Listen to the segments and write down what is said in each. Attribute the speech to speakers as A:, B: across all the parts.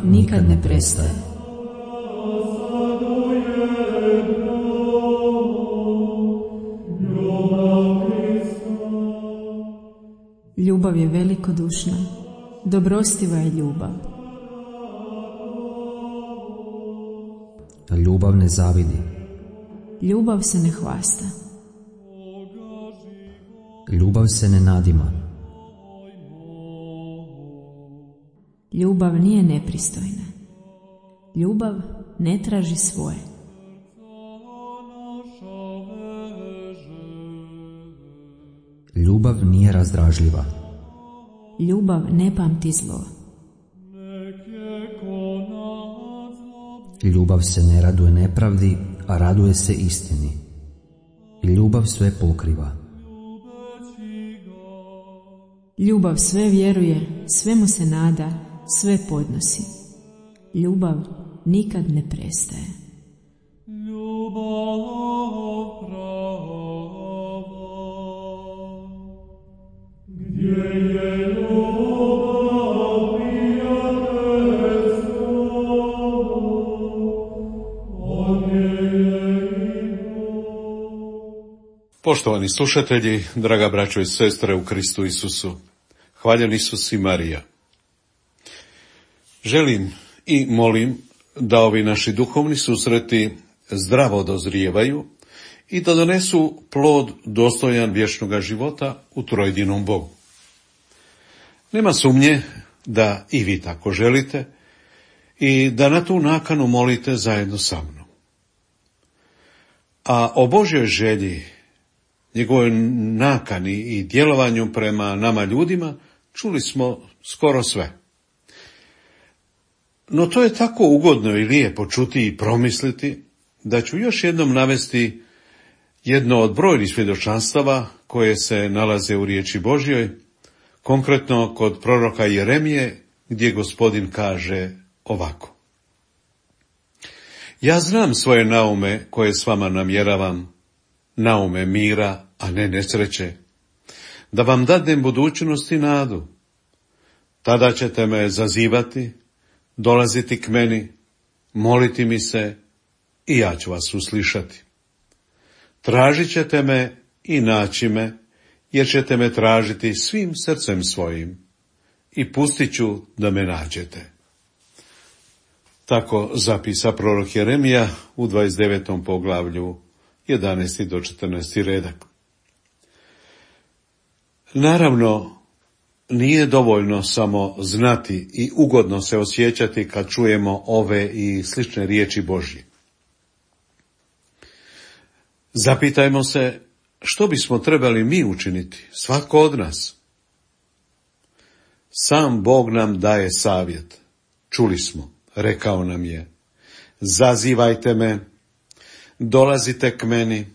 A: nikad ne prestaje. Ljubav je velikodušna, dobrostiva je ljubav.
B: Ljubav ne zavidi.
A: Ljubav se ne hvasta.
B: Ljubav se ne nadima.
A: Ljubav nije nepristojna. Ljubav ne traži svoje.
B: Ljubav nije razdražljiva.
A: Ljubav ne pamti zlo.
B: Ljubav se ne raduje nepravdi, a raduje se istini. Ljubav sve pokriva.
A: Ljubav sve vjeruje, svemu se nada, sve podnosi. Ljubav nikad ne prestaje.
C: Poštovani slušatelji, draga braćo i sestre u Kristu Isusu, hvaljen Isus i Marija. Želim i molim da ovi naši duhovni susreti zdravo dozrijevaju i da donesu plod dostojan vječnoga života u trojedinom Bogu. Nema sumnje da i vi tako želite i da na tu nakanu molite zajedno sa mnom. A o Božjoj želji, njegovoj nakani i djelovanju prema nama ljudima čuli smo skoro sve. No to je tako ugodno i lijepo čuti i promisliti da ću još jednom navesti jedno od brojnih svjedočanstava koje se nalaze u riječi Božjoj, konkretno kod proroka Jeremije, gdje Gospodin kaže ovako. Ja znam svoje naume koje s vama namjeravam, naume mira, a ne nesreće, da vam dadnem budućnost i nadu. Tada ćete me zazivati, dolaziti k meni, moliti mi se i ja ću vas uslišati. Tražit ćete me i naći me, jer ćete me tražiti svim srcem svojim i pustit ću da me nađete. Tako zapisa prorok Jeremija u 29. poglavlju 11. do 14. redak. Naravno, nije dovoljno samo znati i ugodno se osjećati kad čujemo ove i slične riječi Božje. Zapitajmo se što bismo trebali mi učiniti, svatko od nas. Sam Bog nam daje savjet. Čuli smo, rekao nam je, zazivajte me, dolazite k meni,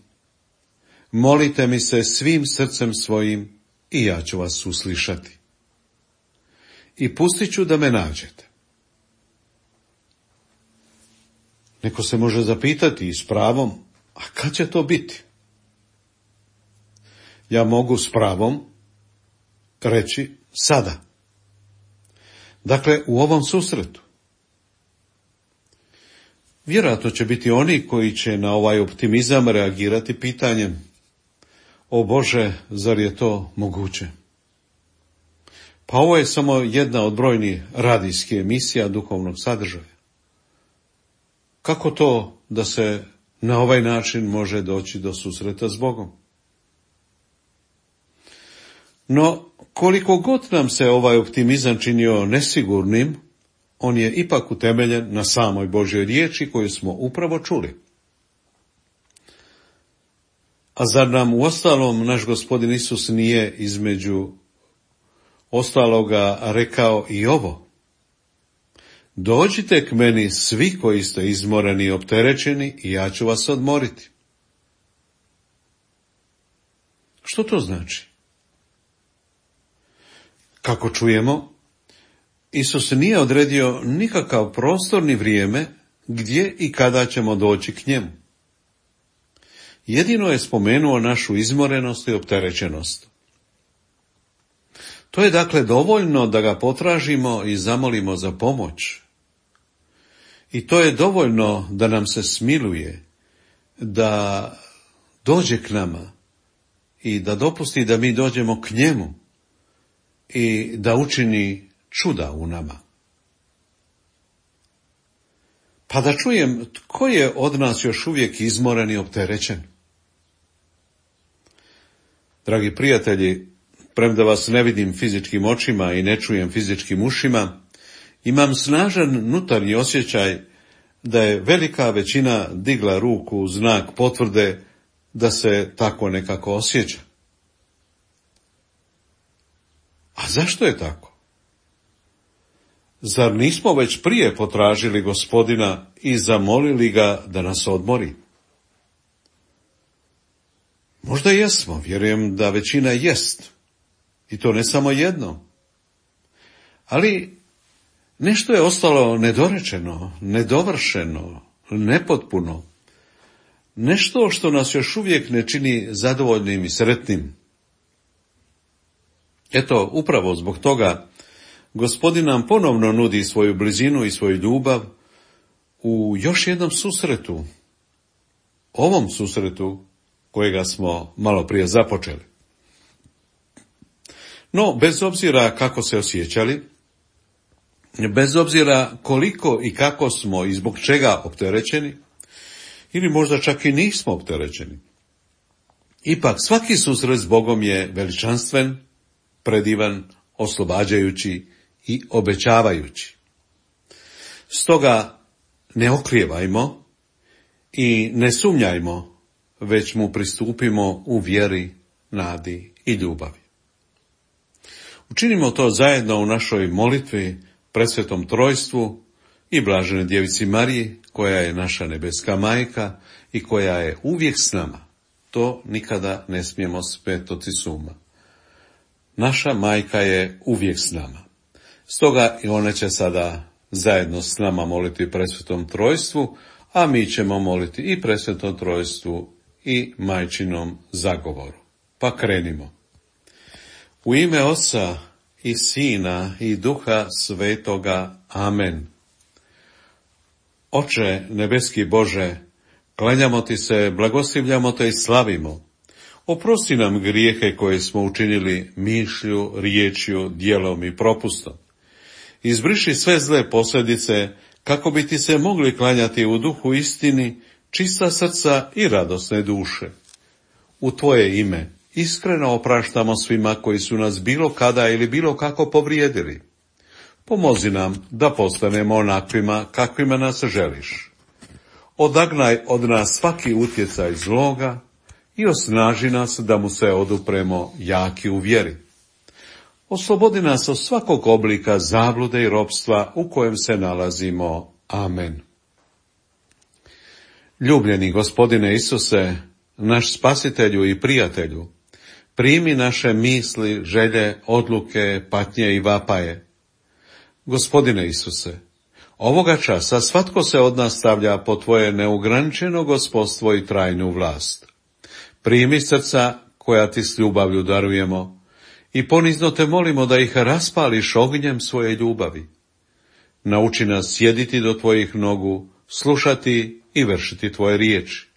C: molite mi se svim srcem svojim i ja ću vas uslišati. I pustit ću da me nađete. Neko se može zapitati i s pravom, a kad će to biti? Ja mogu s pravom reći sada. Dakle, u ovom susretu. Vjerojatno će biti oni koji će na ovaj optimizam reagirati pitanjem: o Bože, zar je to moguće? Pa ovo je samo jedna od brojnih radijskih emisija duhovnog sadržaja. Kako to da se na ovaj način može doći do susreta s Bogom? No, koliko god nam se ovaj optimizam činio nesigurnim, on je ipak utemeljen na samoj Božjoj riječi koju smo upravo čuli. A zar nam uostalom naš Gospodin Isus nije između ostaloga rekao i ovo? Dođite k meni svi koji ste izmoreni i opterećeni i ja ću vas odmoriti. Što to znači? Kako čujemo, Isus nije odredio nikakav prostor ni vrijeme gdje i kada ćemo doći k njemu. Jedino je spomenuo našu izmorenost i opterećenost. To je dakle dovoljno da ga potražimo i zamolimo za pomoć, I to je dovoljno da nam se smiluje, da dođe k nama i da dopusti da mi dođemo k njemu i da učini čuda u nama. Pa da čujem tko je od nas još uvijek izmoren i opterećen. Dragi prijatelji, premda vas ne vidim fizičkim očima i ne čujem fizičkim ušima, imam snažan unutarnji osjećaj da je velika većina digla ruku u znak potvrde da se tako nekako osjeća. A zašto je tako? Zar nismo već prije potražili Gospodina i zamolili ga da nas odmori? Možda jesmo, vjerujem da većina jest. I to ne samo jedno. Ali nešto je ostalo nedorečeno, nedovršeno, nepotpuno. Nešto što nas još uvijek ne čini zadovoljnim i sretnim. Eto, upravo zbog toga Gospodin nam ponovno nudi svoju blizinu i svoju ljubav u još jednom susretu, ovom susretu kojega smo malo prije započeli. No, bez obzira kako se osjećali, bez obzira koliko i kako smo i zbog čega opterećeni, ili možda čak i nismo opterećeni, ipak svaki susret s Bogom je veličanstven, predivan, oslobađajući i obećavajući. Stoga ne oklijevajmo i ne sumnjajmo, već mu pristupimo u vjeri, nadi i ljubavi. Učinimo to zajedno u našoj molitvi presvetom trojstvu i blaženoj djevici Mariji, koja je naša nebeska majka i koja je uvijek s nama. To nikada ne smijemo smetnuti s uma. Naša majka je uvijek s nama. Stoga i ona će sada zajedno s nama moliti presvetom trojstvu, a mi ćemo moliti i presvetom trojstvu i majčinom zagovoru. Pa krenimo. U ime Oca i Sina i Duha Svetoga. Amen. Oče nebeski Bože, klanjamo ti se, blagoslivljamo te i slavimo. Oprosti nam grijehe koje smo učinili mišlju, riječju, djelom i propustom. Izbriši sve zle posljedice, kako bi ti se mogli klanjati u duhu istini, čista srca i radosne duše. U tvoje ime iskreno opraštamo svima koji su nas bilo kada ili bilo kako povrijedili. Pomozi nam da postanemo onakvima kakvima nas želiš. Odagnaj od nas svaki utjecaj zloga i osnaži nas da mu se odupremo jaki u vjeri. Oslobodi nas od svakog oblika zablude i ropstva u kojem se nalazimo. Amen. Ljubljeni Gospodine Isuse, naš spasitelju i prijatelju, primi naše misli, želje, odluke, patnje i vapaje. Gospodine Isuse, ovoga časa svatko se od nas stavlja po tvoje neograničeno gospodstvo i trajnu vlast. Primi srca koja ti s ljubavlju darujemo i ponizno te molimo da ih raspališ ognjem svoje ljubavi. Nauči nas sjediti do tvojih nogu, slušati i vršiti tvoje riječi.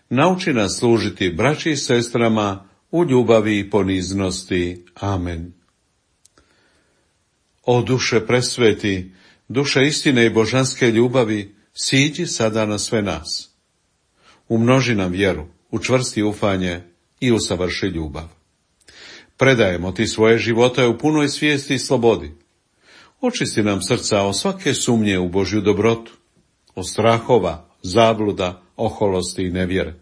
C: Nauči nas služiti braći i sestrama u ljubavi i poniznosti. Amen. O duše presveti, duše istine i božanske ljubavi, siđi sada na sve nas. Umnoži nam vjeru, učvrsti ufanje i usavrši ljubav. Predajemo ti svoje živote u punoj svijesti i slobodi. Očisti nam srca od svake sumnje u Božju dobrotu, od strahova, zabluda, oholosti i nevjere.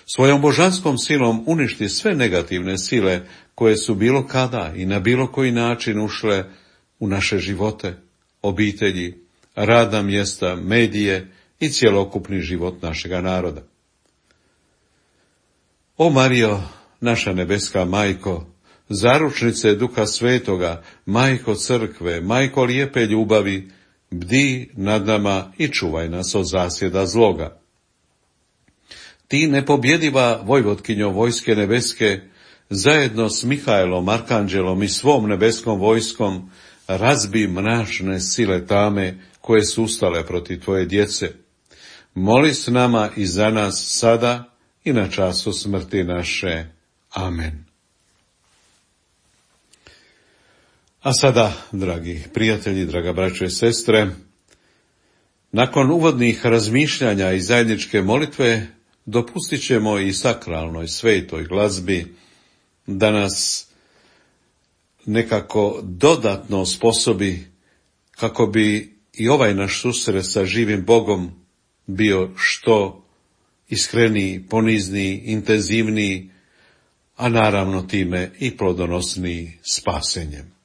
C: Svojom božanskom silom uništi sve negativne sile koje su bilo kada i na bilo koji način ušle u naše živote, obitelji, radna mjesta, medije i cjelokupni život našega naroda. O Marijo, naša nebeska majko, zaručnice Duha Svetoga, majko crkve, majko lijepe ljubavi, bdi nad nama i čuvaj nas od zasjeda zloga. Ti nepobjediva vojvotkinjo vojske nebeske, zajedno s Mihaelom, arkanđelom i svom nebeskom vojskom, razbi mračne sile tame koje su ustale protiv tvoje djece, moli s nama i za nas sada i na času smrti naše. Amen. A sada, dragi prijatelji, draga braćo i sestre, nakon uvodnih razmišljanja i zajedničke molitve, dopustit ćemo i sakralnoj svetoj glazbi da nas nekako dodatno sposobi kako bi i ovaj naš susret sa živim Bogom bio što iskreniji, ponizniji, intenzivniji, a naravno time i plodonosniji spasenjem.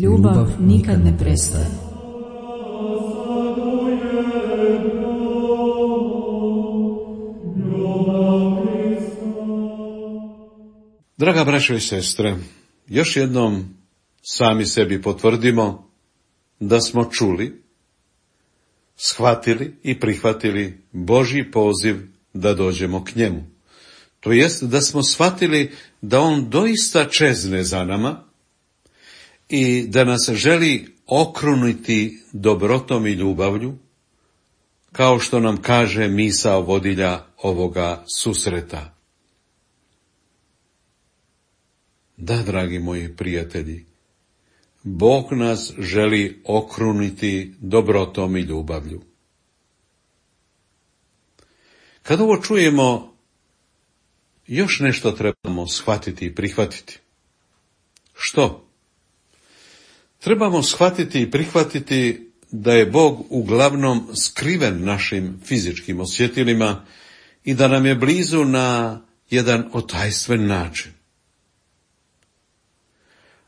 A: Ljubav nikad ne prestaje.
C: Draga braćo i sestre, još jednom sami sebi potvrdimo da smo čuli, shvatili i prihvatili Božji poziv da dođemo k njemu. To jest da smo shvatili da on doista čezne za nama i da nas želi okruniti dobrotom i ljubavlju, kao što nam kaže misao vodilja ovoga susreta. Da, dragi moji prijatelji, Bog nas želi okruniti dobrotom i ljubavlju. Kad ovo čujemo, još nešto trebamo shvatiti i prihvatiti. Što? Trebamo shvatiti i prihvatiti da je Bog uglavnom skriven našim fizičkim osjetilima i da nam je blizu na jedan otajstven način.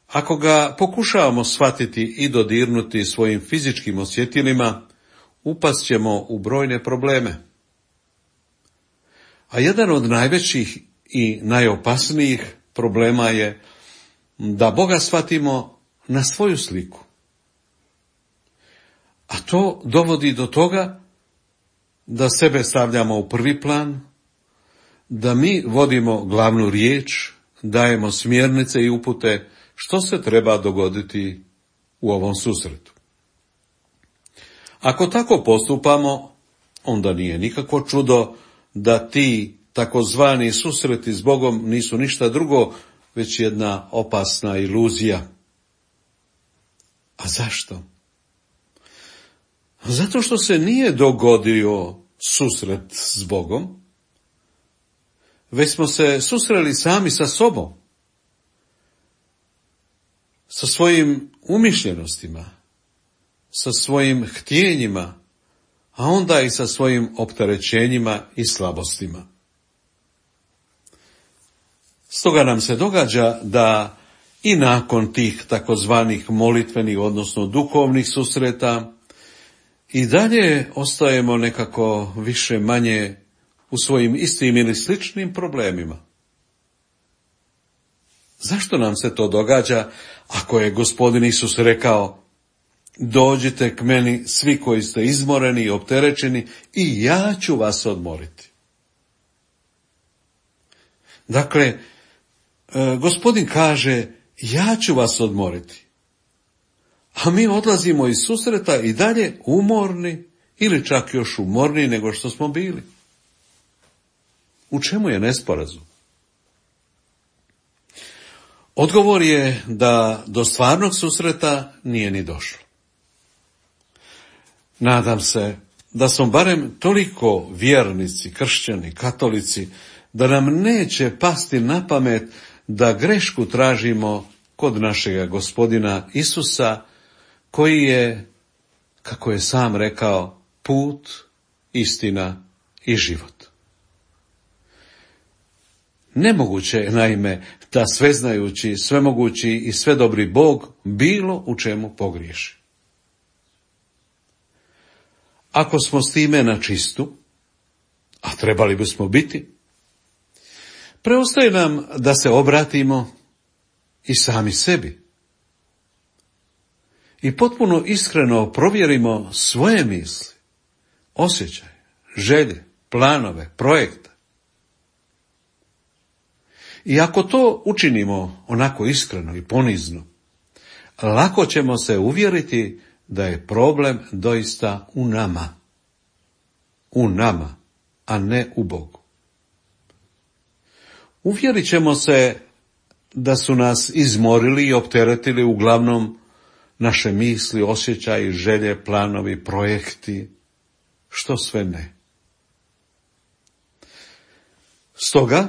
C: Ako ga pokušavamo shvatiti i dodirnuti svojim fizičkim osjetilima, upast ćemo u brojne probleme. A jedan od najvećih i najopasnijih problema je da Boga shvatimo na svoju sliku. A to dovodi do toga da sebe stavljamo u prvi plan, da mi vodimo glavnu riječ, dajemo smjernice i upute što se treba dogoditi u ovom susretu. Ako tako postupamo, onda nije nikakvo čudo da ti takozvani susreti s Bogom nisu ništa drugo, već jedna opasna iluzija. A zašto? Zato što se nije dogodio susret s Bogom, već smo se susreli sami sa sobom, sa svojim umišljenostima, sa svojim htjenjima, a onda i sa svojim opterećenjima i slabostima. Stoga nam se događa da i nakon tih takozvanih molitvenih, odnosno duhovnih susreta, i dalje ostajemo nekako više manje u svojim istim ili sličnim problemima. Zašto nam se to događa ako je Gospodin Isus rekao: dođite k meni svi koji ste izmoreni i opterećeni i ja ću vas odmoriti. Dakle, Gospodin kaže: ja ću vas odmoriti. A mi odlazimo iz susreta i dalje umorni ili čak još umorniji nego što smo bili. U čemu je nesporazum? Odgovor je da do stvarnog susreta nije ni došlo. Nadam se da smo barem toliko vjernici, kršćani, katolici, da nam neće pasti na pamet da grešku tražimo kod našega Gospodina Isusa, koji je, kako je sam rekao, put, istina i život. Nemoguće je, naime, da sveznajući, svemogući i svedobri Bog bilo u čemu pogriješi. Ako smo s time na čistu, a trebali bismo biti, preostaje nam da se obratimo i sami sebi i potpuno iskreno provjerimo svoje misli, osjećaje, želje, planove, projekte. I ako to učinimo onako iskreno i ponizno, lako ćemo se uvjeriti da je problem doista u nama, a ne u Bogu. Uvjerit ćemo se da su nas izmorili i opteretili uglavnom naše misli, osjećaji, želje, planovi, projekti, što sve ne. Stoga,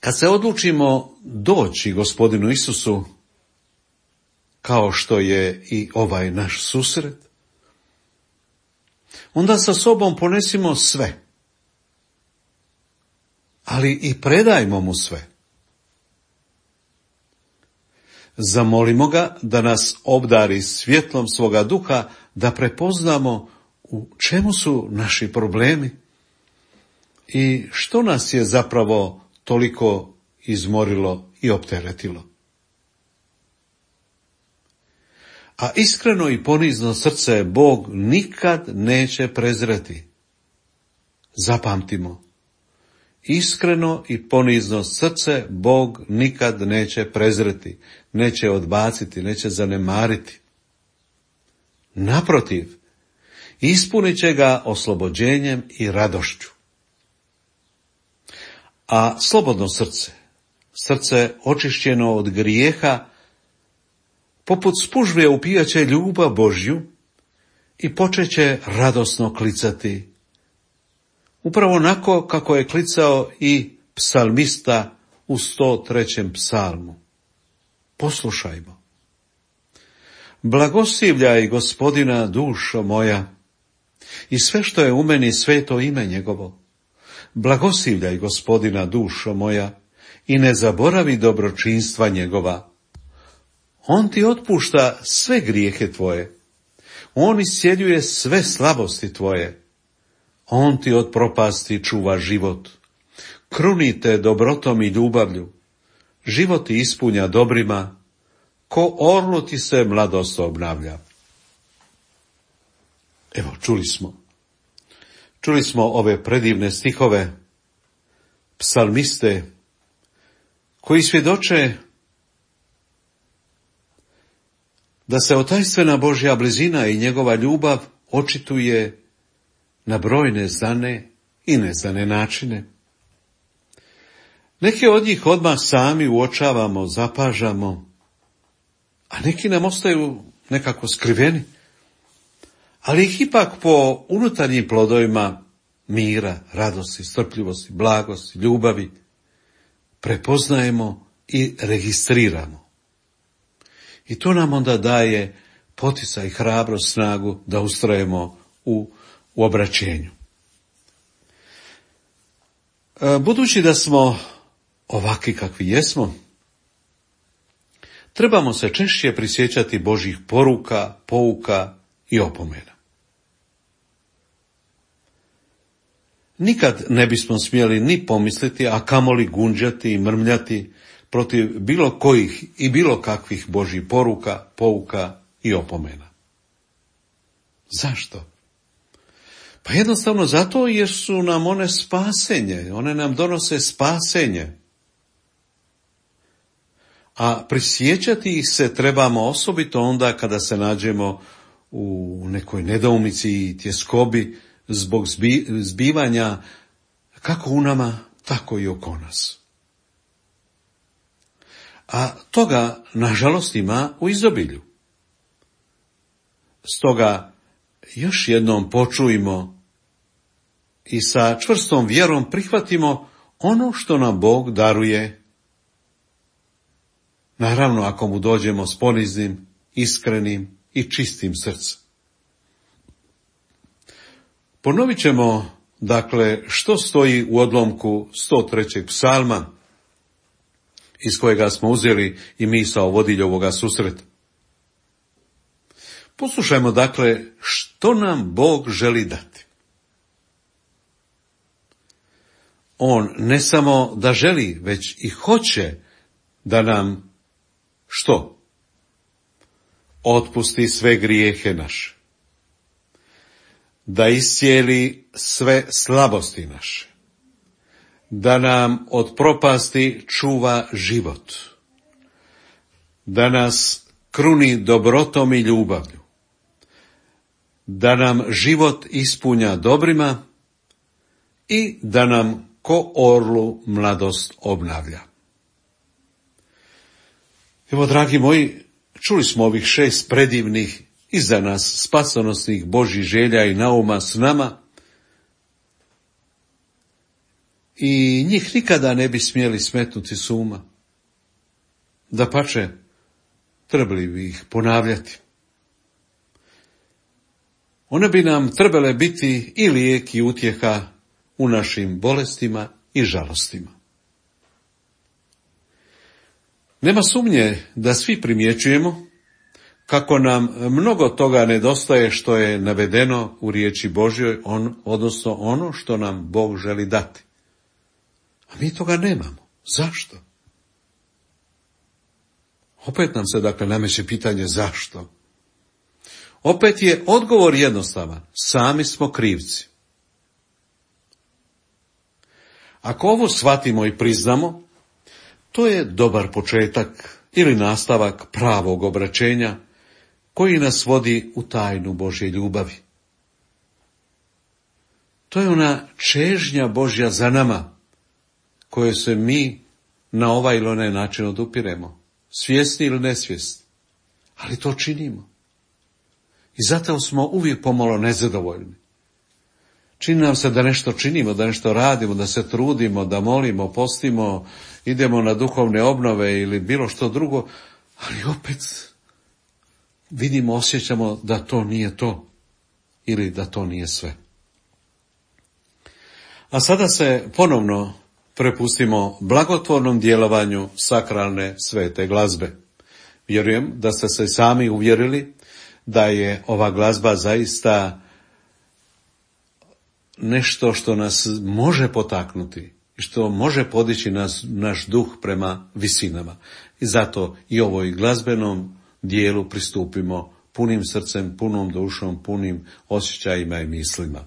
C: kad se odlučimo doći Gospodinu Isusu, kao što je i ovaj naš susret, onda sa sobom ponesimo sve, ali i predajmo mu sve. Zamolimo ga da nas obdari svjetlom svoga duha, da prepoznamo u čemu su naši problemi i što nas je zapravo toliko izmorilo i opteretilo. A iskreno i ponizno srce Bog nikad neće prezreti. Zapamtimo, iskreno i ponizno srce Bog nikad neće prezreti, neće odbaciti, neće zanemariti. Naprotiv, ispunit će ga oslobođenjem i radošću. A slobodno srce očišćeno od grijeha, poput spužve upijaće ljubav Božju i počeće radosno klicati, upravo onako kako je klicao i psalmista u 103. psalmu. Poslušajmo. Blagoslivljaj Gospodina, dušo moja, i sve što je u meni, sveto ime njegovo. Blagoslivljaj Gospodina, dušo moja, i ne zaboravi dobročinstva njegova. On ti otpušta sve grijehe tvoje. On iscjeljuje sve slabosti tvoje. On ti od propasti čuva život. Krunite dobrotom i ljubavlju. Život ti ispunja dobrima. Ko orlu ti se mladost obnavlja. Evo, čuli smo ove predivne stihove psalmiste koji svjedoče da se otajstvena Božja blizina i njegova ljubav očituje na brojne znane i neznane načine. Neke od njih odmah sami uočavamo, zapažamo, a neki nam ostaju nekako skriveni, ali ih ipak po unutarnjim plodovima mira, radosti, strpljivosti, blagosti, ljubavi prepoznajemo i registriramo. I to nam onda daje poticaj, hrabrost, snagu da ustrajemo u obraćenju. Budući da smo ovakvi kakvi jesmo, trebamo se češće prisjećati Božjih poruka, pouka i opomena. Nikad ne bismo smjeli ni pomisliti, a kamoli gunđati i mrmljati protiv bilo kojih i bilo kakvih Božjih poruka, pouka i opomena. Zašto? Pa jednostavno zato jer su nam one spasenje, one nam donose spasenje. A prisjećati ih se trebamo osobito onda kada se nađemo u nekoj nedoumici i tjeskobi zbog zbivanja kako u nama, tako i oko nas. A toga, nažalost, ima u izobilju. Stoga još jednom počujmo i sa čvrstom vjerom prihvatimo ono što nam Bog daruje. Naravno, ako mu dođemo s poniznim, iskrenim i čistim srcem. Ponovit ćemo, dakle, što stoji u odlomku 103. psalma, iz kojega smo uzeli i misao vodilja ovoga susreta. Poslušajmo, dakle, što nam Bog želi dati. On ne samo da želi, već i hoće da nam što? Otpusti sve grijehe naše. Da iscijeli sve slabosti naše. Da nam od propasti čuva život. Da nas kruni dobrotom i ljubavlju. Da nam život ispunja dobrima i da nam ko orlu mladost obnavlja. Evo, dragi moji, čuli smo ovih 6 predivnih i za nas spasonosnih Božjih želja i nauma s nama i njih nikada ne bi smjeli smetnuti s uma. Dapače, trebali bi ih ponavljati. One bi nam trebale biti i lijek i utjeha u našim bolestima i žalostima. Nema sumnje da svi primjećujemo kako nam mnogo toga nedostaje što je navedeno u riječi Božjoj, odnosno ono što nam Bog želi dati. A mi toga nemamo. Zašto? Opet nam se dakle nameće pitanje zašto. Opet je odgovor jednostavan. Sami smo krivci. Ako ovo shvatimo i priznamo, to je dobar početak ili nastavak pravog obraćenja koji nas vodi u tajnu Božje ljubavi. To je ona čežnja Božja za nama, koje se mi na ovaj ili onaj način odupiremo, svjesni ili nesvjesni, ali to činimo. I zato smo uvijek pomalo nezadovoljni. Čini nam se da nešto činimo, da nešto radimo, da se trudimo, da molimo, postimo, idemo na duhovne obnove ili bilo što drugo, ali opet vidimo, osjećamo da to nije to ili da to nije sve. A sada se ponovno prepustimo blagotvornom djelovanju sakralne svete glazbe. Vjerujem da ste se sami uvjerili da je ova glazba zaista nešto što nas može potaknuti i što može podići naš duh prema visinama. I zato i ovoj glazbenom dijelu pristupimo punim srcem, punom dušom, punim osjećajima i mislima.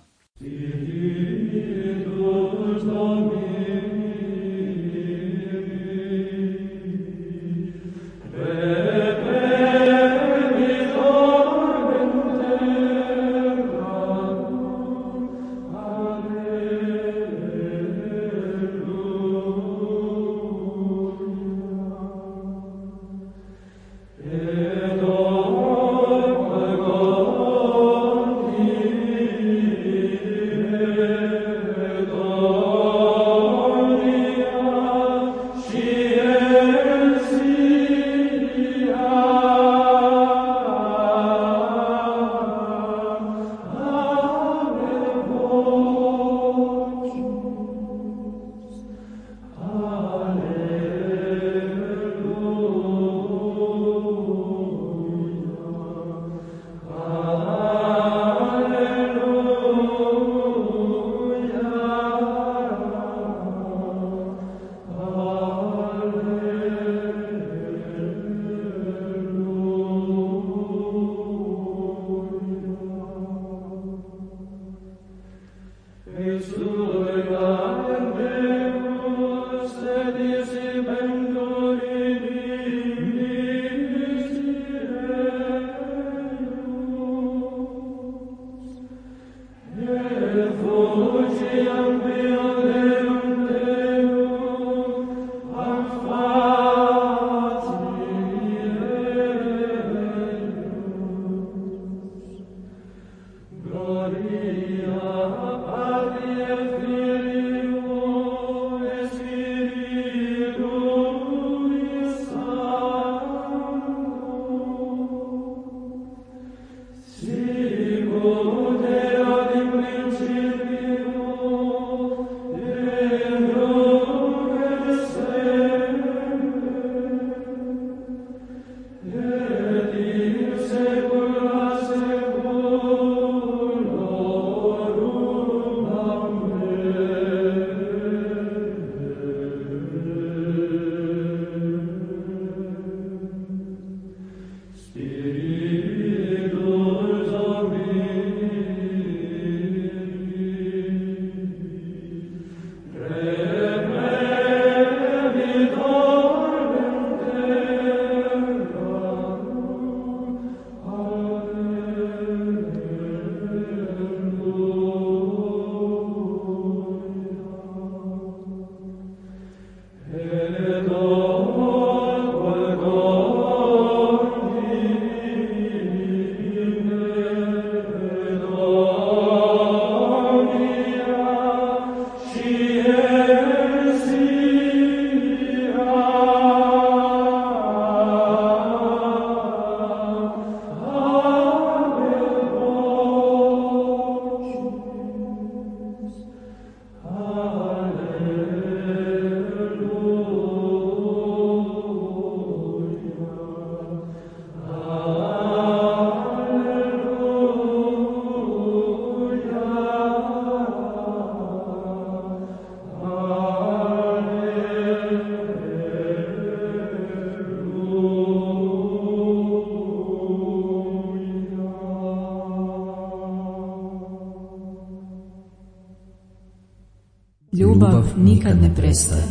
A: Ljubav nikad ne prestaje.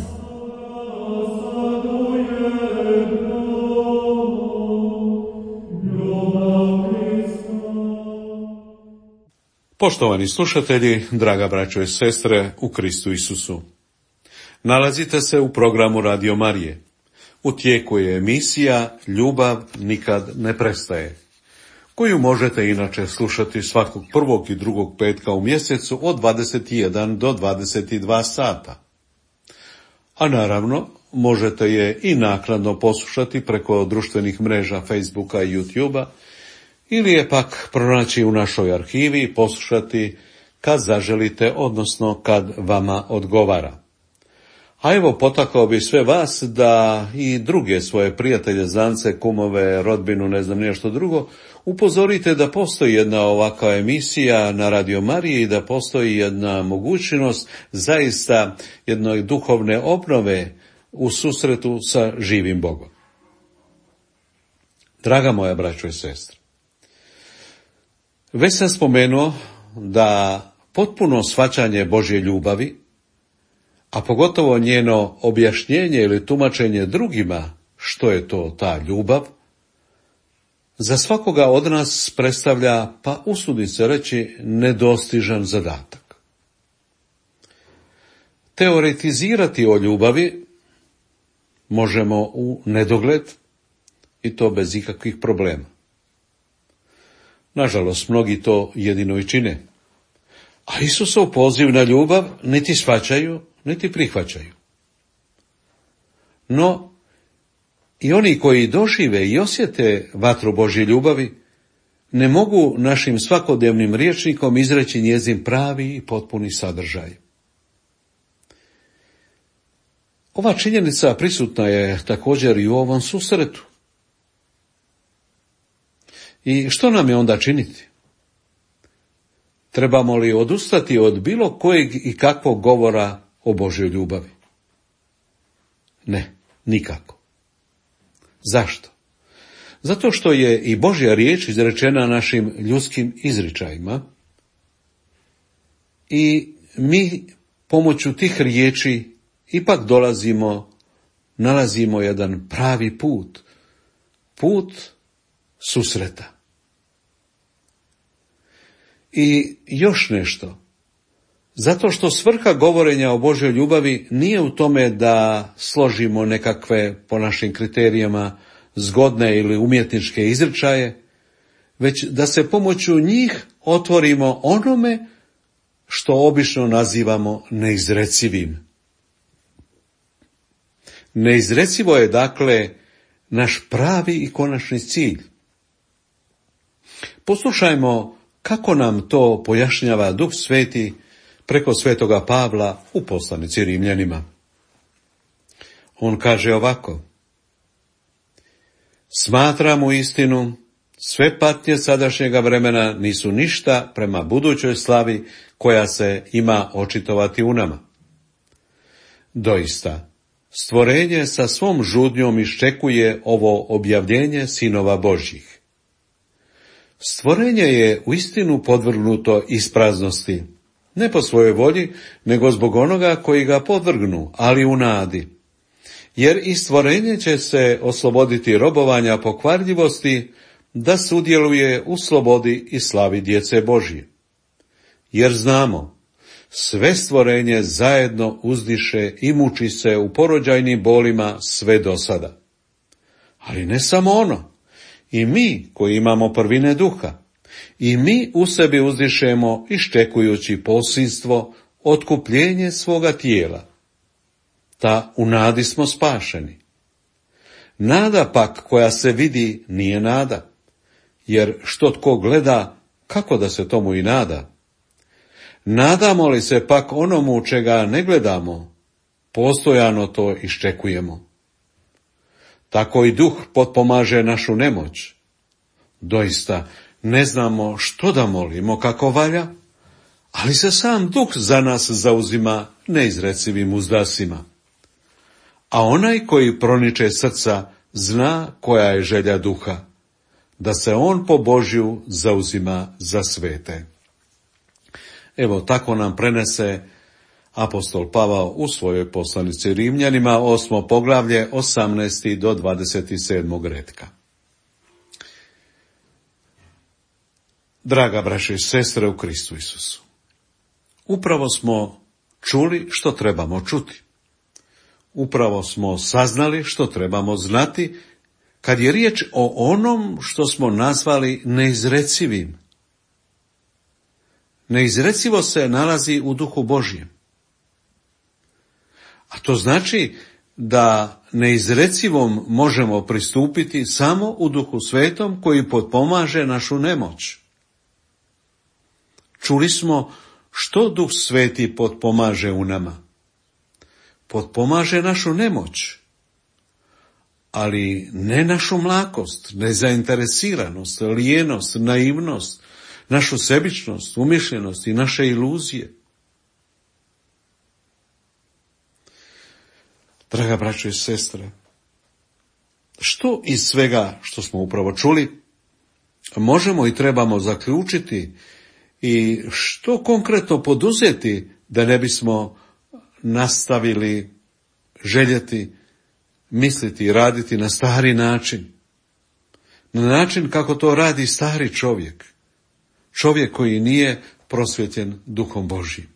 C: Poštovani slušatelji, draga braćo i sestre u Kristu Isusu. Nalazite se u programu Radio Marije. U tijeku je emisija Ljubav nikad ne prestaje, koju možete inače slušati svakog prvog i drugog petka u mjesecu od 21 do 22 sata. A naravno, možete je i naknadno poslušati preko društvenih mreža Facebooka i YouTubea, ili je pak pronaći u našoj arhivi i poslušati kad zaželite, odnosno kad vama odgovara. A evo, potakao bi sve vas da i druge svoje prijatelje, znance, kumove, rodbinu, ne znam nešto drugo, upozorite da postoji jedna ovakva emisija na Radio Mariji i da postoji jedna mogućnost zaista jedne duhovne obnove u susretu sa živim Bogom. Draga moja braćo i sestre, već sam spomenuo da potpuno shvaćanje Božje ljubavi, a pogotovo njeno objašnjenje ili tumačenje drugima što je to ta ljubav, za svakoga od nas predstavlja, pa usudim se reći, nedostižan zadatak. Teoretizirati o ljubavi možemo u nedogled i to bez ikakvih problema. Nažalost, mnogi to jedino i čine. A Isusov poziv na ljubav niti shvaćaju, niti prihvaćaju. No, i oni koji dožive i osjete vatru Božje ljubavi, ne mogu našim svakodnevnim rječnikom izreći njezin pravi i potpuni sadržaj. Ova činjenica prisutna je također i u ovom susretu. I što nam je onda činiti? Trebamo li odustati od bilo kojeg i kakvog govora o Božjoj ljubavi? Ne, nikako. Zašto? Zato što je i Božja riječ izrečena našim ljudskim izričajima i mi pomoću tih riječi ipak nalazimo jedan pravi put susreta. I još nešto, zato što svrha govorenja o Božjoj ljubavi nije u tome da složimo nekakve, po našim kriterijama, zgodne ili umjetničke izričaje, već da se pomoću njih otvorimo onome što obično nazivamo neizrecivim. Neizrecivo je dakle naš pravi i konačni cilj. Poslušajmo kako nam to pojašnjava Duh Sveti preko svetoga Pavla u poslanici Rimljanima. On kaže ovako: smatram u istinu, sve patnje sadašnjega vremena nisu ništa prema budućoj slavi koja se ima očitovati u nama. Doista, stvorenje sa svom žudnjom iščekuje ovo objavljenje sinova Božjih. Stvorenje je uistinu podvrgnuto ispraznosti, ne po svojoj volji, nego zbog onoga koji ga podvrgnu, ali u nadi. Jer i stvorenje će se osloboditi robovanja pokvarljivosti, da sudjeluje u slobodi i slavi djece Božje. Jer znamo, sve stvorenje zajedno uzdiše i muči se u porođajnim bolima sve do sada. Ali ne samo ono, i mi koji imamo prvine duha, i mi u sebi uzdišemo iščekujući posinstvo, otkupljenje svoga tijela. Ta u nadi smo spašeni. Nada pak koja se vidi nije nada, jer što tko gleda, kako da se tomu i nada? Nadamo li se pak onomu čega ne gledamo, postojano to iščekujemo. Tako i duh potpomaže našu nemoć. Doista, ne znamo što da molimo kako valja, ali se sam duh za nas zauzima neizrecivim uzdasima. A onaj koji proniče srca zna koja je želja duha, da se on po Božju zauzima za svete. Evo, tako nam prenese apostol Pavao u svojoj poslanici Rimljanima, 8. poglavlje, 18. do 27. retka. Draga braće i sestre u Kristu Isusu, upravo smo čuli što trebamo čuti. Upravo smo saznali što trebamo znati kad je riječ o onom što smo nazvali neizrecivim. Neizrecivo se nalazi u Duhu Božjem. A to znači da neizrecivom možemo pristupiti samo u Duhu Svetom koji potpomaže našu nemoć. Čuli smo što Duh Sveti potpomaže u nama. Potpomaže našu nemoć, ali ne našu mlakost, nezainteresiranost, lijenost, naivnost, našu sebičnost, umišljenost i naše iluzije. Draga braćo i sestre, što iz svega što smo upravo čuli možemo i trebamo zaključiti i što konkretno poduzeti da ne bismo nastavili željeti, misliti i raditi na stari način. Na način kako to radi stari čovjek. Čovjek koji nije prosvjetljen Duhom Božjim.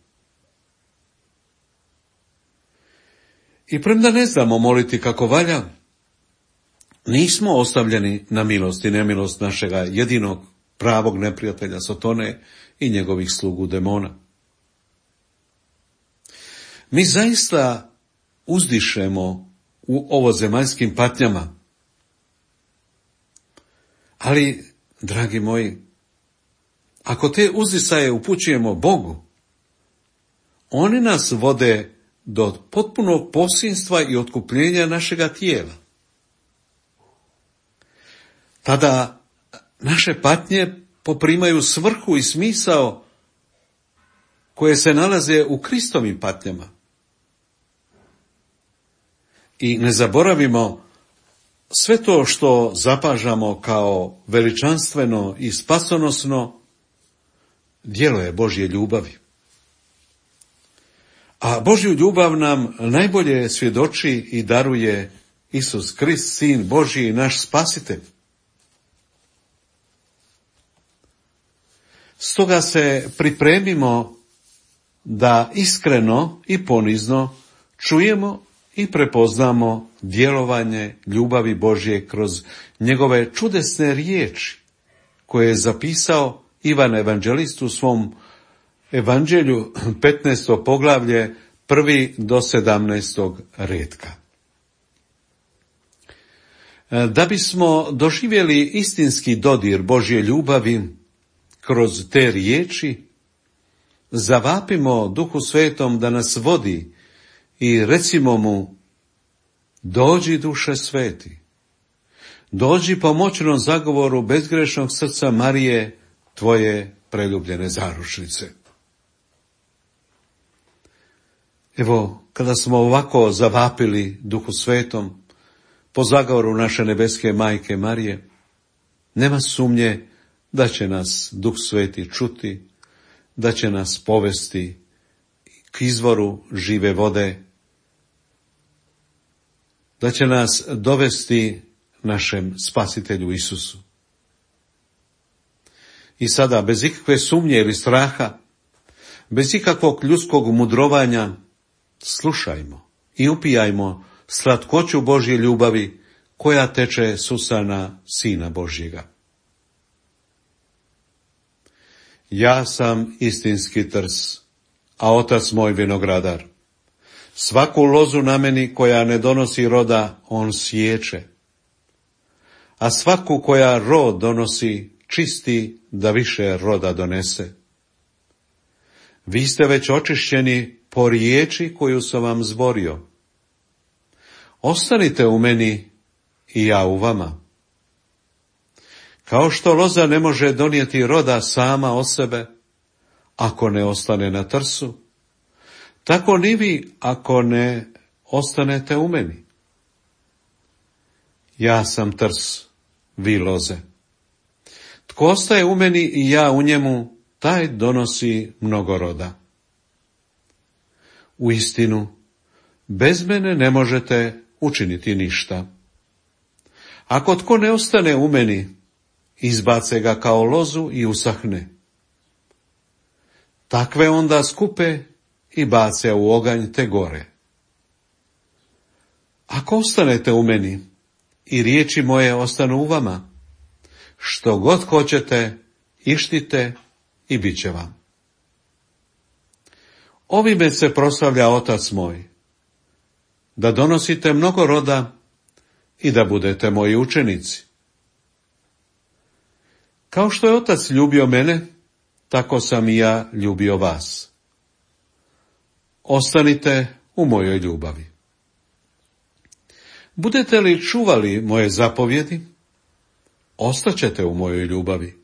C: I premda ne znamo moliti kako valja, nismo ostavljeni na milost i nemilost našega jedinog pravog neprijatelja Sotone i njegovih slugu demona. Mi zaista uzdišemo u ovozemaljskim patnjama. Ali, dragi moji, ako te uzdisaje upućujemo Bogu, oni nas vode do potpunog posinstva i otkupljenja našega tijela. Tada naše patnje poprimaju svrhu i smisao koje se nalaze u Kristovim patnjama. I ne zaboravimo sve to što zapažamo kao veličanstveno i spasonosno djelo je Božje ljubavi. A Božju ljubav nam najbolje svjedoči i daruje Isus Krist, Sin Božji i naš Spasitelj. Stoga se pripremimo da iskreno i ponizno čujemo i prepoznamo djelovanje ljubavi Božje kroz njegove čudesne riječi koje je zapisao Ivan Evanđelist u svom Evanđelju 15. poglavlje 1. do 17. retka. Da bismo doživjeli istinski dodir Božje ljubavi kroz te riječi, zavapimo Duhu Svetom da nas vodi i recimo mu: dođi duše sveti, dođi po moćnom zagovoru bezgrešnog srca Marije, tvoje preljubljene zaručnice. Evo, kada smo ovako zavapili Duhu Svetom po zagovoru naše nebeske majke Marije, nema sumnje da će nas Duh Sveti čuti, da će nas povesti k izvoru žive vode, da će nas dovesti našem Spasitelju Isusu. I sada, bez ikakve sumnje ili straha, bez ikakvog ljudskog mudrovanja, slušajmo i upijajmo slatkoću Božje ljubavi koja teče s usana Sina Božjega. Ja sam istinski trs, a Otac moj vinogradar. Svaku lozu na meni koja ne donosi roda, on siječe, a svaku koja rod donosi, čisti da više roda donese. Vi ste već očišćeni po riječi koju sam vam zborio. Ostanite u meni i ja u vama. Kao što loza ne može donijeti roda sama od sebe, ako ne ostane na trsu, tako ni vi ako ne ostanete u meni. Ja sam trs, vi loze. Tko ostaje u meni i ja u njemu, taj donosi mnogo roda. Uistinu, bez mene ne možete učiniti ništa. Ako tko ne ostane u meni, izbace ga kao lozu i usahne. Takve onda skupe i bace u oganj te gore. Ako ostanete u meni i riječi moje ostanu u vama, što god hoćete, ištite i bit će vam. Ovime se proslavlja Otac moj, da donosite mnogo roda i da budete moji učenici. Kao što je Otac ljubio mene, tako sam i ja ljubio vas. Ostanite u mojoj ljubavi. Budete li čuvali moje zapovjedi, ostaćete u mojoj ljubavi.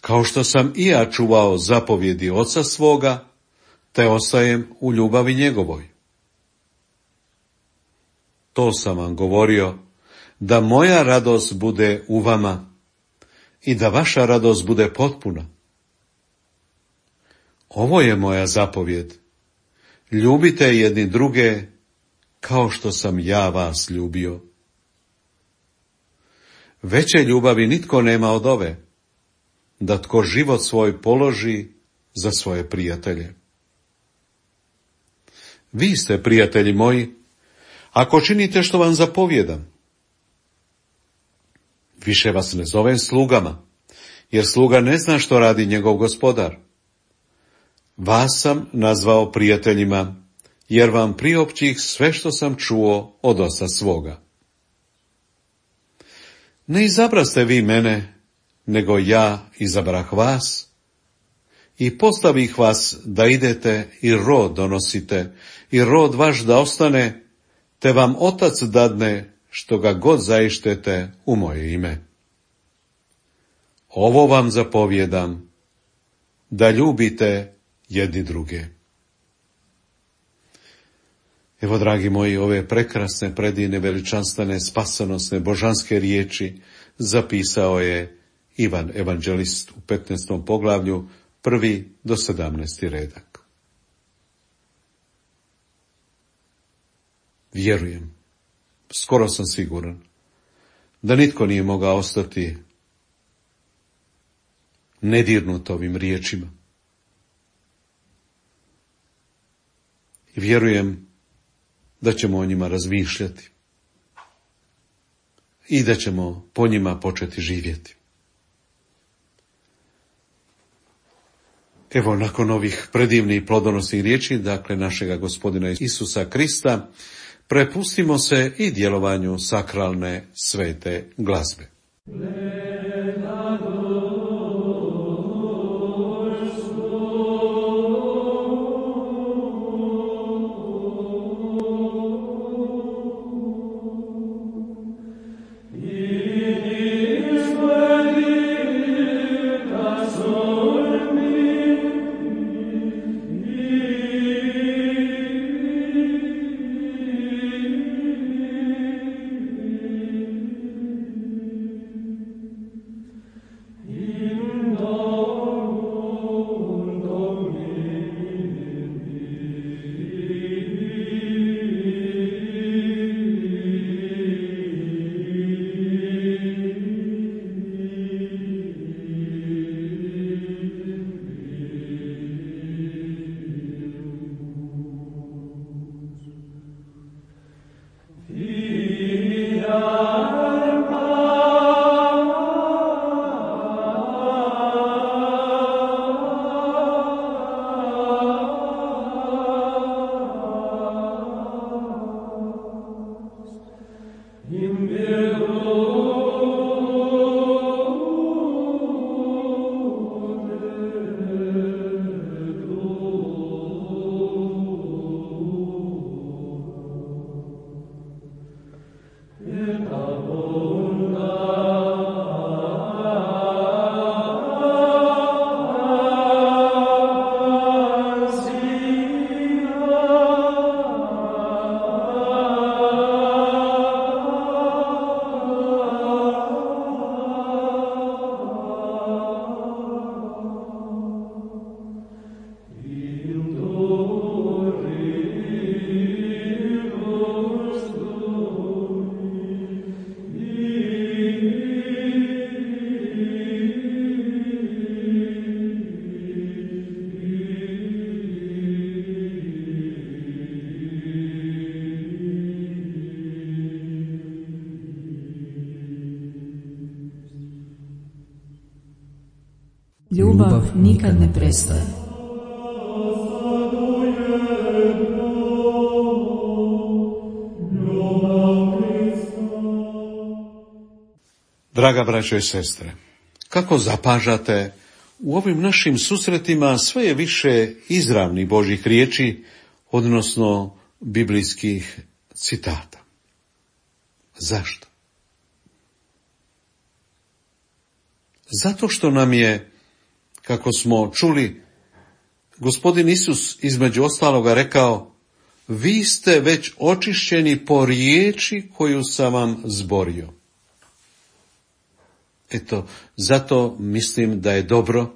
C: Kao što sam i ja čuvao zapovjedi Oca svoga, te ostajem u ljubavi njegovoj. To sam vam govorio, da moja radost bude u vama i da vaša radost bude potpuna. Ovo je moja zapovjed. Ljubite jedni druge kao što sam ja vas ljubio. Veće ljubavi nitko nema od ove, da tko život svoj položi za svoje prijatelje. Vi ste, prijatelji moji, ako činite što vam zapovjedam. Više vas ne zovem slugama, jer sluga ne zna što radi njegov gospodar. Vas sam nazvao prijateljima, jer vam priopćih sve što sam čuo od Oca svoga. Ne izabraste vi mene, nego ja izabrah vas i postavih vas da idete i rod donosite i rod vaš da ostane, te vam Otac dadne što ga god zaištete u moje ime. Ovo vam zapovjedam, da ljubite jedni druge. Evo, dragi moji, ove prekrasne, predivne, veličanstvene, spasonosne, božanske riječi zapisao je Ivan Evanđelist u 15. poglavlju, 1. do 17. redak. Vjerujem, skoro sam siguran, da nitko nije mogao ostati nedirnut ovim riječima. I vjerujem da ćemo o njima razmišljati i da ćemo po njima početi živjeti. Evo, nakon ovih predivnih plodonosnih riječi, dakle našega Gospodina Isusa Krista, prepustimo se i djelovanju sakralne svete glazbe.
A: Ljubav nikad ne prestaje.
C: Draga braćo i sestre, kako zapažate, u ovim našim susretima sve je više izravnih Božjih riječi, odnosno biblijskih citata. Zašto? Zato što nam je, kako smo čuli, Gospodin Isus između ostaloga rekao: vi ste već očišćeni po riječi koju sam vam zborio. Eto, zato mislim da je dobro,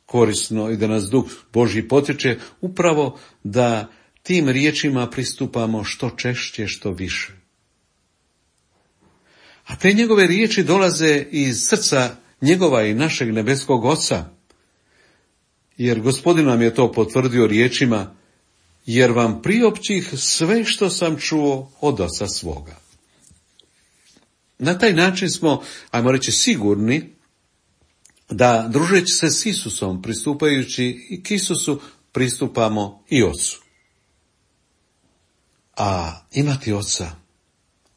C: korisno i da nas Duh Božji potiče upravo da tim riječima pristupamo što češće, što više. A te njegove riječi dolaze iz srca njegova i našeg nebeskog Oca, jer Gospodin nam je to potvrdio riječima: jer vam priopćih sve što sam čuo od Oca svoga. Na taj način smo, ajmo reći, sigurni da, družeći se s Isusom, pristupajući i k Isusu, pristupamo i Ocu. A imati Oca,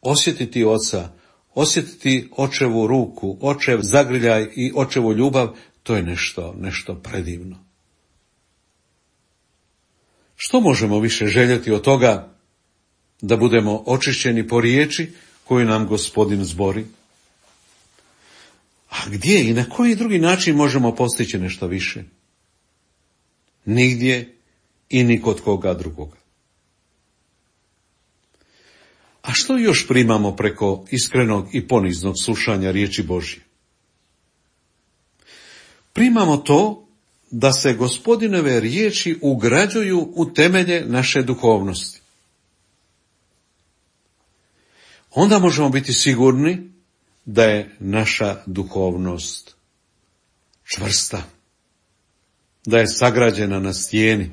C: osjetiti Oca, osjetiti Očevu ruku, Očev zagrljaj i Očevu ljubav, to je nešto predivno. Što možemo više željeti od toga da budemo očišćeni po riječi koju nam Gospodin zbori? A gdje i na koji drugi način možemo postići nešto više? Nigdje i ni kod koga drugoga. A što još primamo preko iskrenog i poniznog slušanja riječi Božje? Primamo to da se Gospodinove riječi ugrađuju u temelje naše duhovnosti. Onda možemo biti sigurni da je naša duhovnost čvrsta, da je sagrađena na stijeni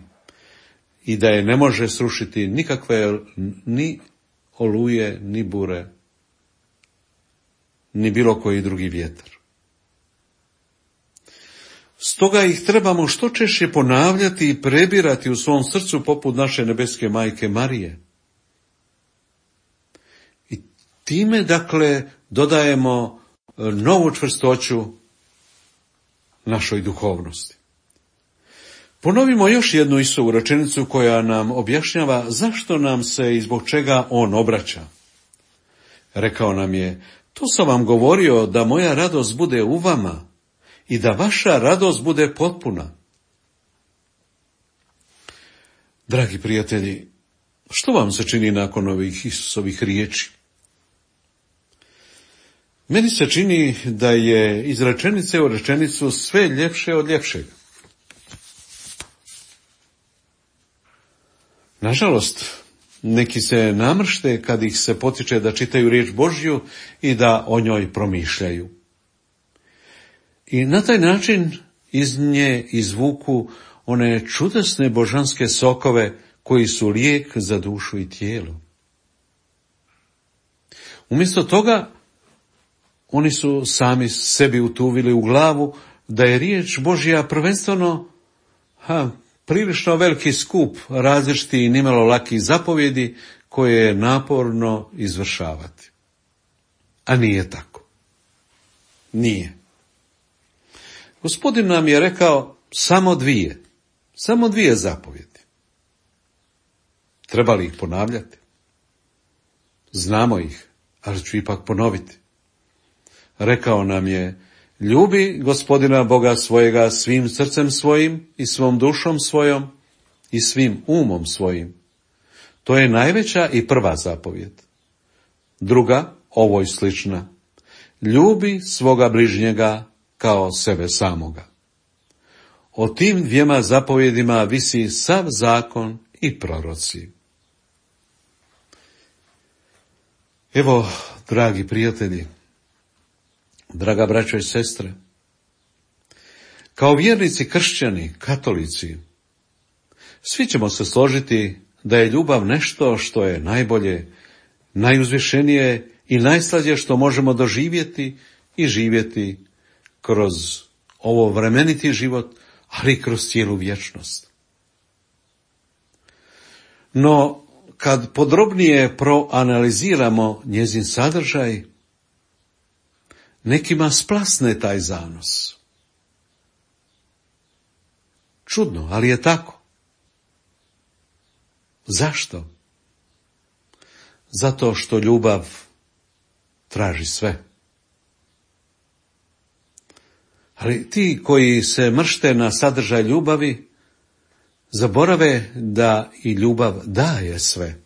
C: i da je ne može srušiti nikakve ni oluje, ni bure, ni bilo koji drugi vjetar. Stoga ih trebamo što češće ponavljati i prebirati u svom srcu poput naše nebeske majke Marije. I time, dakle, dodajemo novu čvrstoću našoj duhovnosti. Ponovimo još jednu Isusovu rečenicu koja nam objašnjava zašto nam se i zbog čega on obraća. Rekao nam je: to sam vam govorio da moja radost bude u vama i da vaša radost bude potpuna. Dragi prijatelji, što vam se čini nakon ovih Isusovih riječi? Meni se čini da je iz rečenice u rečenicu sve ljepše od ljepšega. Nažalost, neki se namršte kad ih se potiče da čitaju riječ Božju i da o njoj promišljaju. I na taj način iz nje izvuku one čudesne božanske sokove koji su lijek za dušu i tijelo. Umjesto toga, oni su sami sebi utuvili u glavu da je riječ Božja prvenstveno prilično veliki skup različitih i nimalo lakih zapovjedi koje je naporno izvršavati. A nije tako. Nije. Gospodin nam je rekao samo dvije zapovjedi. Treba li ih ponavljati? Znamo ih, ali ću ipak ponoviti. Rekao nam je: ljubi Gospodina Boga svojega svim srcem svojim i svom dušom svojom i svim umom svojim. To je najveća i prva zapovjed. Druga, ovoj slična: ljubi svoga bližnjega kao sebe samoga. O tim dvijema zapovjedima visi sav zakon i proroci. Evo, dragi prijatelji, draga braćo i sestre, kao vjernici kršćani, katolici, svi ćemo se složiti da je ljubav nešto što je najbolje, najuzvišenije i najslađe što možemo doživjeti i živjeti kroz ovo vremeniti život, ali kroz cijelu vječnost. No, kad podrobnije proanaliziramo njezin sadržaj, nekima splasne taj zanos. Čudno, ali je tako. Zašto? Zato što ljubav traži sve. Ali ti koji se mršte na sadržaj ljubavi, zaborave da i ljubav daje sve.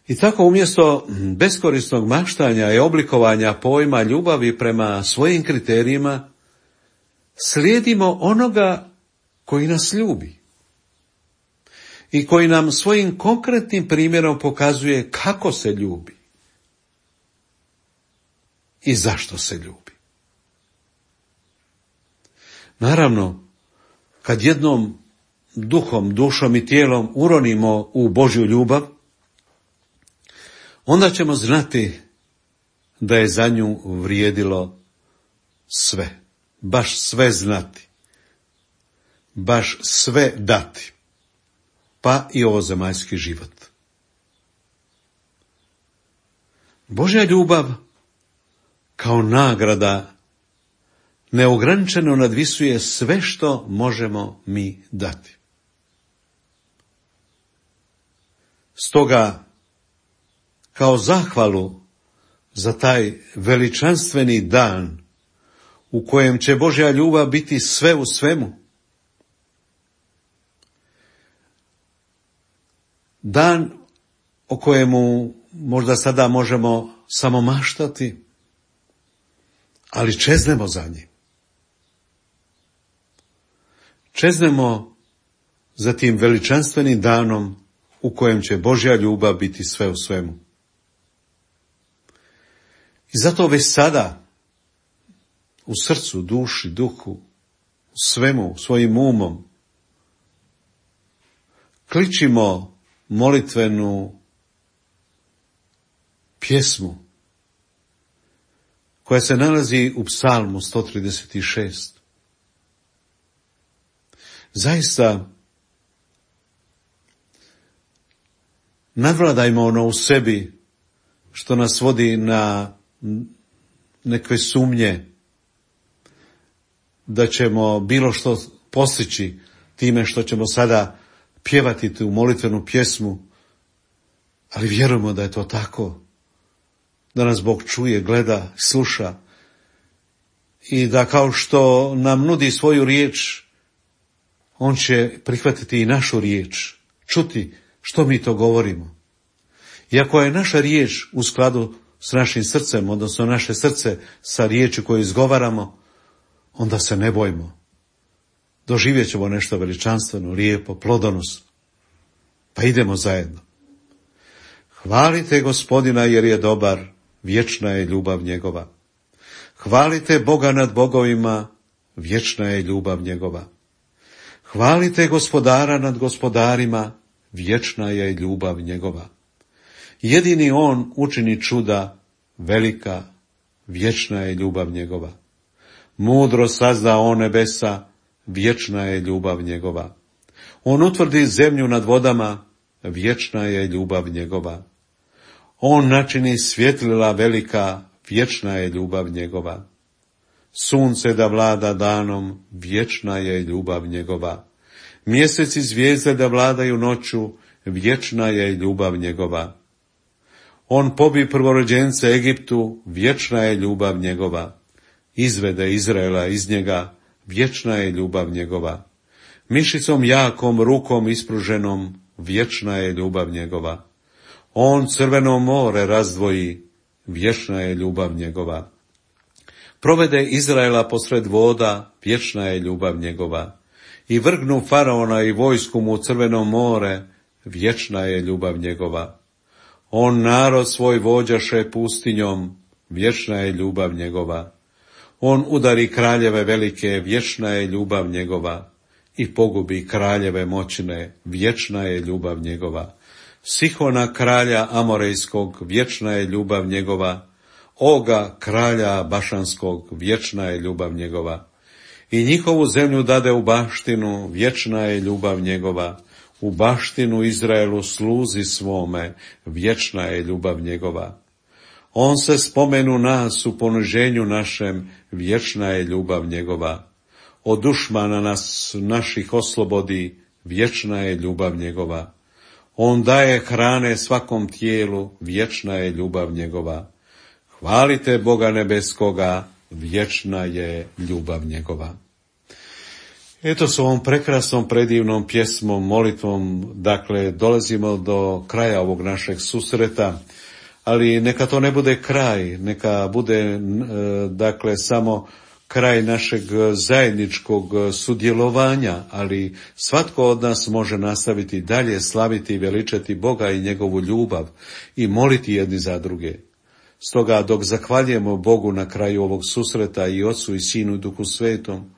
C: I tako umjesto beskorisnog maštanja i oblikovanja pojma ljubavi prema svojim kriterijima, slijedimo onoga koji nas ljubi i koji nam svojim konkretnim primjerom pokazuje kako se ljubi i zašto se ljubi. Naravno, kad jednom duhom, dušom i tijelom uronimo u Božju ljubav, onda ćemo znati da je za nju vrijedilo sve, baš sve znati, baš sve dati, pa i ovozemaljski život. Božja ljubav kao nagrada neograničeno nadvisuje sve što možemo mi dati. Stoga, kao zahvalu za taj veličanstveni dan u kojem će Božja ljubav biti sve u svemu, dan o kojemu možda sada možemo samo maštati, ali čeznemo za njim. Čeznemo za tim veličanstvenim danom u kojem će Božja ljubav biti sve u svemu. I zato već sada u srcu, duši, duhu, u svemu, svojim umom, kličimo molitvenu pjesmu koja se nalazi u Psalmu 136. Zaista, nadvladajmo ono u sebi što nas vodi na neke sumnje da ćemo bilo što postići time što ćemo sada pjevati tu molitvenu pjesmu, ali vjerujemo da je to tako, da nas Bog čuje, gleda, sluša i da kao što nam nudi svoju riječ, on će prihvatiti i našu riječ, čuti što mi to govorimo. I ako je naša riječ u skladu s našim srcem, odnosno naše srce sa riječi koju izgovaramo, onda se ne bojmo. Doživjet ćemo nešto veličanstveno, lijepo, plodonosno. Pa idemo zajedno. Hvalite Gospodina jer je dobar, vječna je ljubav njegova. Hvalite Boga nad bogovima, vječna je ljubav njegova. Hvalite Gospodara nad gospodarima, vječna je ljubav njegova. Jedini on učini čuda, velika, vječna je ljubav njegova. Mudro sazda on nebesa, vječna je ljubav njegova. On utvrdi zemlju nad vodama, vječna je ljubav njegova. On načini svjetlila velika, vječna je ljubav njegova. Sunce da vlada danom, vječna je ljubav njegova. Mjesec i zvijezde da vladaju noću, vječna je ljubav njegova. On pobi prvorođence Egiptu, vječna je ljubav njegova. Izvede Izraela iz njega, vječna je ljubav njegova. Mišicom jakom, rukom ispruženom, vječna je ljubav njegova. On crveno more razdvoji, vječna je ljubav njegova. Provede Izraela posred voda, vječna je ljubav njegova. I vrgnu faraona i vojsku mu u crveno more, vječna je ljubav njegova. On narod svoj vođaše pustinjom, vječna je ljubav njegova. On udari kraljeve velike, vječna je ljubav njegova. I pogubi kraljeve moćne, vječna je ljubav njegova. Sihona kralja Amorejskog, vječna je ljubav njegova. Oga kralja Bašanskog, vječna je ljubav njegova. I njihovu zemlju dade u baštinu, vječna je ljubav njegova. U baštinu Izraelu sluzi svome, vječna je ljubav njegova. On se spomenu nas u poniženju našem, vječna je ljubav njegova. Od dušmana nas naših oslobodi, vječna je ljubav njegova. On daje hrane svakom tijelu, vječna je ljubav njegova. Hvalite Boga nebeskoga, vječna je ljubav njegova. Eto, s ovom prekrasnom, predivnom pjesmom, molitvom, dakle, dolazimo do kraja ovog našeg susreta, ali neka to ne bude kraj, neka bude, dakle, samo kraj našeg zajedničkog sudjelovanja, ali svatko od nas može nastaviti dalje slaviti i veličati Boga i njegovu ljubav i moliti jedni za druge. Stoga, dok zahvaljujemo Bogu na kraju ovog susreta i Ocu i Sinu i Duhu Svetom,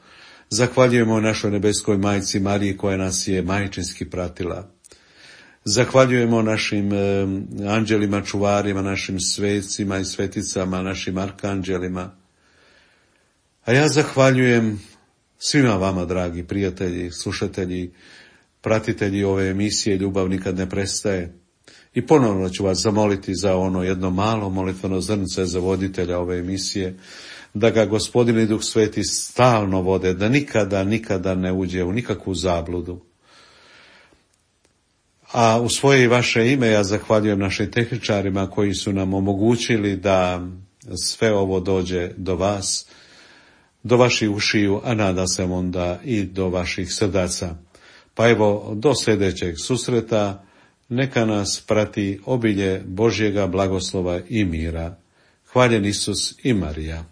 C: zahvaljujemo našoj nebeskoj majci Mariji koja nas je majčinski pratila. Zahvaljujemo našim anđelima, čuvarima, našim svecima i sveticama, našim arkanđelima. A ja zahvaljujem svima vama, dragi prijatelji, slušatelji, pratitelji ove emisije Ljubav nikad ne prestaje. I ponovno ću vas zamoliti za ono jedno malo molitveno zrnce za voditelja ove emisije, da ga Gospodin i Duh Sveti stalno vode, da nikada ne uđe u nikakvu zabludu. A u svoje i vaše ime ja zahvaljujem našim tehničarima koji su nam omogućili da sve ovo dođe do vas, do vaših ušiju, a nada se onda i do vaših srdaca. Pa evo, do sljedećeg susreta, neka nas prati obilje Božjega blagoslova i mira. Hvaljen Isus i Marija.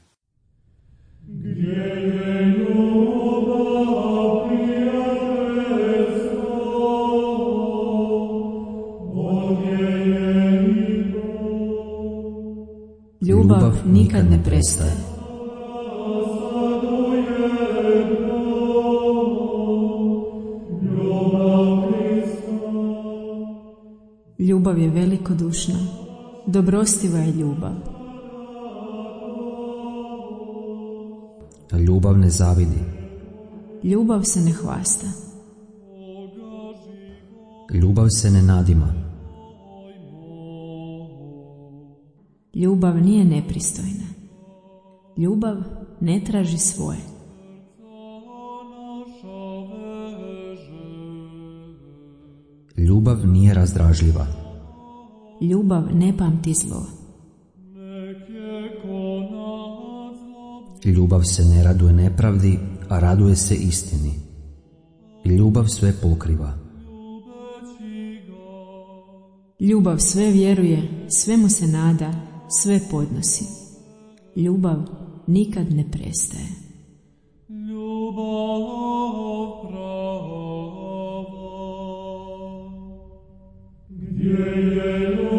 A: Ljubav nikad ne prestaje. Ljubav je velikodušna, dobrostiva je ljubav.
B: Ljubav ne zavidi.
A: Ljubav se ne hvasta.
B: Ljubav se ne nadima.
A: Ljubav nije nepristojna. Ljubav ne traži svoje.
B: Ljubav nije razdražljiva.
A: Ljubav ne pamti zlo.
B: Ljubav se ne raduje nepravdi, a raduje se istini. Ljubav sve pokriva.
A: Ljubav sve vjeruje, svemu se nada, sve podnosi. Ljubav nikad ne prestaje.
D: Ljubav prava, gdje je